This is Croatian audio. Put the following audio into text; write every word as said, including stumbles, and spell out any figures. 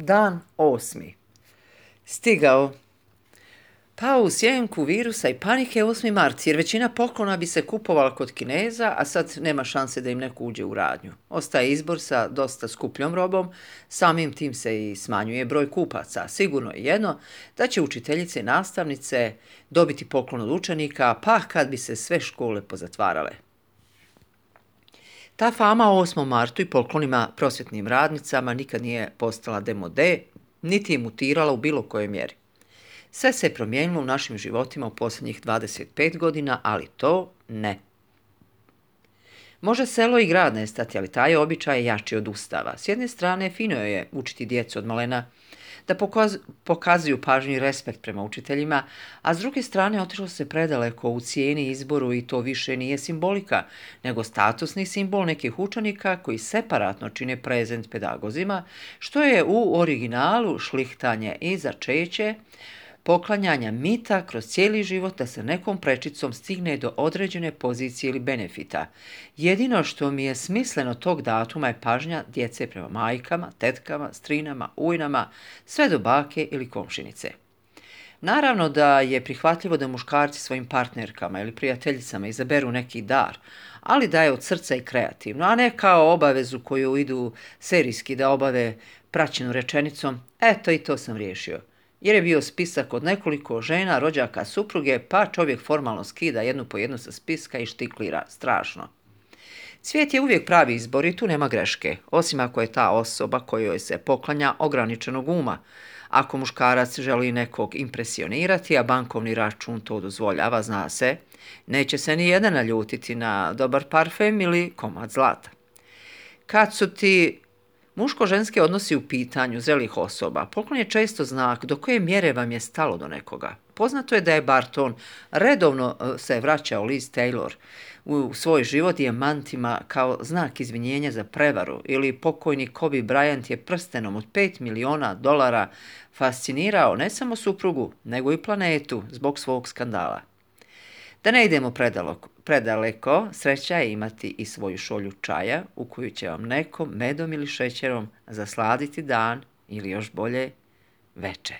Dan osmi. Stigao. Pao u sjenku virusa i panike osmi mart, jer većina poklona bi se kupovala kod Kineza, a sad nema šanse da im neko uđe u radnju. Ostaje izbor sa dosta skupljom robom, samim tim se i smanjuje broj kupaca. Sigurno je jedno da će učiteljice i nastavnice dobiti poklon od učenika, pa kad bi se sve škole pozatvarale. Ta fama o osmom martu i poklonima prosvjetnim radnicama nikad nije postala demode, niti je mutirala u bilo kojoj mjeri. Sve se je promijenilo u našim životima u posljednjih dvadeset pet godina, ali to ne. Može selo i grad nestati, ali taj običaj je jači od Ustava. S jedne strane, fino je učiti djecu od malena da pokazuju pažnju i respekt prema učiteljima, a s druge strane otišlo se predaleko u cijeni izboru i to više nije simbolika, nego statusni simbol nekih učenika koji separatno čine prezent pedagozima, što je u originalu šlihtanje i začeće, poklanjanja mita kroz cijeli život da se nekom prečicom stigne do određene pozicije ili benefita. Jedino što mi je smisleno tog datuma je pažnja djece prema majkama, tetkama, strinama, ujnama, sve do bake ili komšinice. Naravno da je prihvatljivo da muškarci svojim partnerkama ili prijateljicama izaberu neki dar, ali da je od srca i kreativno, a ne kao obavezu koju idu serijski da obave praćenu rečenicom „eto i to sam riješio“. Jer je bio spisak od nekoliko žena, rođaka, supruge, pa čovjek formalno skida jednu po jednu sa spiska i štiklira. Strašno. Cvijet je uvijek pravi izbor i tu nema greške, osim ako je ta osoba kojoj se poklanja ograničenog uma. Ako muškarac želi nekog impresionirati, a bankovni račun to dozvoljava, zna se, neće se ni jedan naljutiti na dobar parfem ili komad zlata. Kad su ti muško-ženski odnosi u pitanju zrelih osoba, poklon je često znak do koje mjere vam je stalo do nekoga. Poznato je da je Barton redovno se vraćao Liz Taylor u svoj život dijamantima kao znak izvinjenja za prevaru, ili pokojni Kobe Bryant je prstenom od pet miliona dolara fascinirao ne samo suprugu, nego i planetu zbog svog skandala. Da ne idemo predaleko, predaleko, sreća je imati i svoju šolju čaja u koju će vam neko medom ili šećerom zasladiti dan ili još bolje veče.